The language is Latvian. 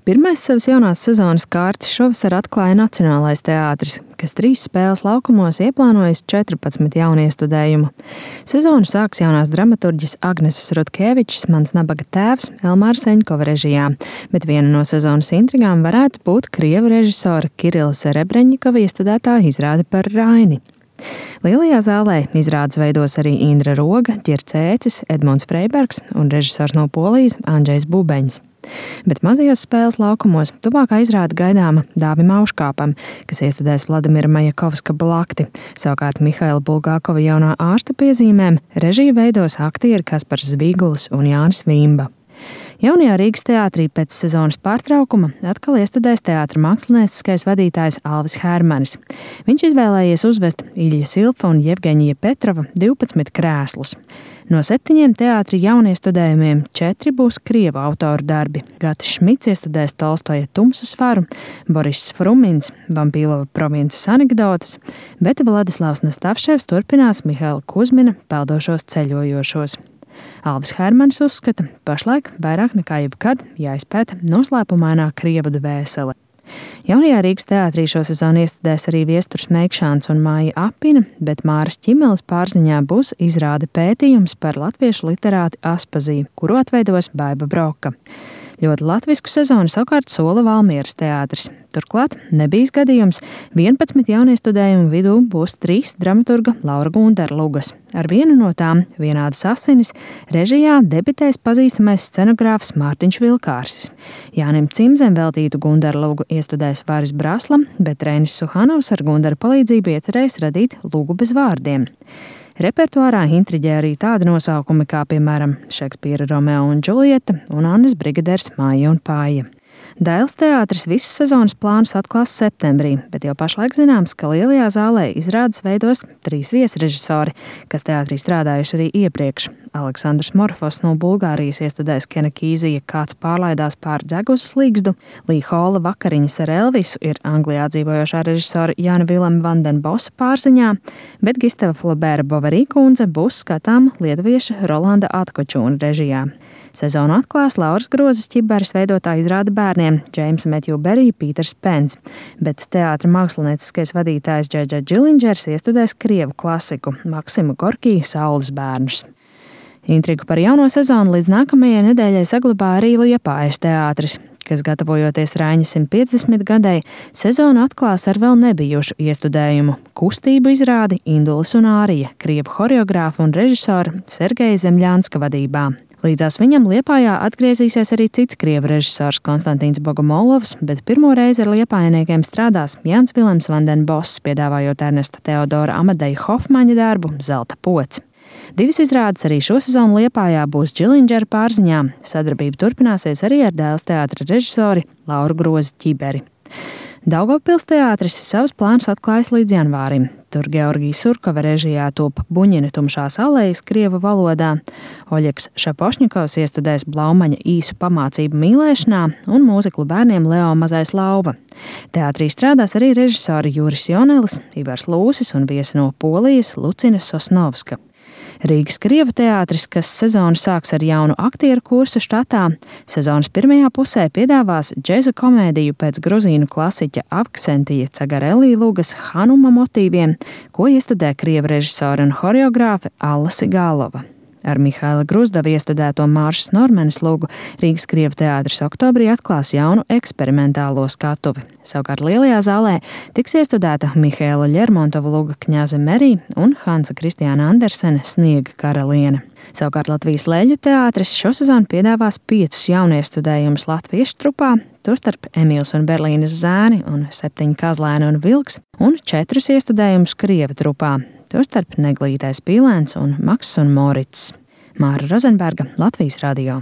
Pirmais savas jaunās sezonas kārtas šovasar atklāja Nacionālais teātris, kas 3 spēles laukumos ieplānojis 14 jauniestudējumu. Sezonu sāks jaunās dramaturģes Agneses Rutkevičs, Mans nabaga tēvs, Elmāra Seņkova režijā, bet viena no sezonas intrigām varētu būt krievu režisora Kirila Serebreņikova iestudētā izrāde par Raini. Lielajā zālē izrādes veidos arī Indra Roga, Ģerts Ēcis, Edmunds Freibergs un režisors no Polijas Andžejs Bubeņs. Bet mazajos spēles laukumos tuvākā izrāde gaidāma Dāvim Auškāpam, kas iestudēs Vladimira Majakovska Blakti. Savukārt Mihaila Bulgākova jaunā ārsta piezīmēm režiju veidos aktieri Kaspars Zvīgulis un Jānis Vīmba. Jaunajā Rīgas teātrī pēc sezonas pārtraukuma atkal iestudēs teātra mākslinieckais vadītājs Alvis Hermanis. Viņš izvēlējies uzvest Iļļa Silfa un Jevgeņija Petrova 12 krēslus. No 7 teātra jauniestudējumiem 4 būs krievu autoru darbi. Gatis Šmits iestudēs Tolstoja Tumsas varu, Boriss Frumins Vampīlova provinces anekdotes, bet Vladislavs Nastavševs turpinās Mihaila Kuzmina Peldošos ceļojošos. Alvis Hermanis uzskata, pašlaik vairāk nekā jebkad jāizpēta noslēpumainā krievu dvēsele. Jaunajā Rīgas teātrī šo sezonu iestudēs arī Viesturs Meikšāns un Māja Apina, bet Māras Ķimeles pārziņā būs izrāde pētījums par latviešu literāti Aspaziju, kuru atveidos Baiba Broka. Ļoti latvisku sezonu savukārt sola Valmieras teātris. Turklāt nebijis gadījums, 11 jauniestudējumu vidū būs 3 dramaturga Laura Gundara lugas. Ar vienu no tām, Vienādas asinis, režijā debitēs pazīstamais scenogrāfs Mārtiņš Vilkārsis. Jānim Cimzem veltītu Gundara lugu iestudēs Varis Brasla, bet Reinis Suhanovs ar Gundara palīdzību iecerējis radīt lugu bez vārdiem. Repertuārā intriģē arī tādi nosaukumi kā, piemēram, Šekspīra Romeo un Džuljeta un Annas Brigaders Māja un Pāja. Dailes teātris visu sezonas plānus atklās septembrī, bet jau pašlaik zināms, ka Lielajā zālē izrādes veidos 3 viesrežisori, kas teātrī strādājuši arī iepriekš. Aleksandrs Morfos no Bulgārijas iestudēs Kena Kīzija Kāds pārlaidās pār Dzeguzas līgzdu, Lī Hola Vakariņas ar Elvisu ir Anglijā dzīvojošā režisora Jana Vilema Vandenbosa pārziņā, bet Gistava Flobēra Bovarī kundze būs skatām lietuvieša Rolanda Atkočūna režijā. Sezonu atklās Lauras Grozes Ķiberes veidotā izrāde bērniem Džeimsa Metju Berija Pīters Pens, bet teātra mākslinieckais vadītājs Džedža Džilindžers iestudēs krievu klasiku Maksimu Gorkī Saules bērnus. Intrigu par jauno sezonu līdz nākamajai nedēļai saglabā arī Liepājas teātris, kas, gatavojoties Raiņa 150 gadai, sezonu atklās ar vēl nebijušu iestudējumu kustību izrādi Indulis un Ārija, krievu horeogrāfa un režisora Sergeja Zemļānska vadībā. Līdzās viņam Liepājā atgriezīsies arī cits krievu režisors Konstantīns Bogomolovs, bet pirmo reizi ar liepājniekiem strādās Jānis Vilems Vandenboss, piedāvājot Ernesta Teodora Amadeja Hofmaņa darbu Zelta pods. 2 izrādes arī šo sezonu Liepājā būs Džilindžera pārziņā. Sadarbība turpināsies arī ar Dailes teātra režisori Lauru Grozi Ķiberi. Daugavpils teātris savus plānus atklājas līdz janvārim. Tur Georgija Surkova režijā top Buņina tumšās alejas krievu valodā, Oļegs Šapošņikovs iestudēs Blaumaņa īsu pamācību mīlēšanā un mūziklu bērniem Leo Mazais lauva. Teātrī strādās arī režisori Juris Jonelis, Ivars Lūsis un viesi no Polijas Lucina Sosnovska. Rīgas krievu teātris, kas sezonu sāks ar jaunu aktieru kursu štatā, sezonas pirmajā pusē piedāvās džeza komēdiju pēc gruzīnu klasiķa Avksentija Cagarelī lugas Hanuma motīviem, ko iestudē krievu režisori un horeogrāfe Alla Sigālova. Ar Mihaila Gruzdava iestudēto Māršas Normanes lugu Rīgas krievu teātris oktobrī atklās jaunu eksperimentālo skatuvi. Savukārt Lielajā zālē tiks iestudēta Mihaila Ļermontova luga Kņaze Merī un Hansa Kristiāna Andersena Sniega karaliene. Savukārt Latvijas Leļu teātris šo sezonu piedāvās 5 jauniestudējumus latviešu trupā, tostarp Emīls un Berlīnes zēni un 7 Kazlēni un Vilks un 4 iestudējumus krievu trupā, tostarp Neglītais Pīlēns un Maks un Morits. Māra Rozenberga, Latvijas radio.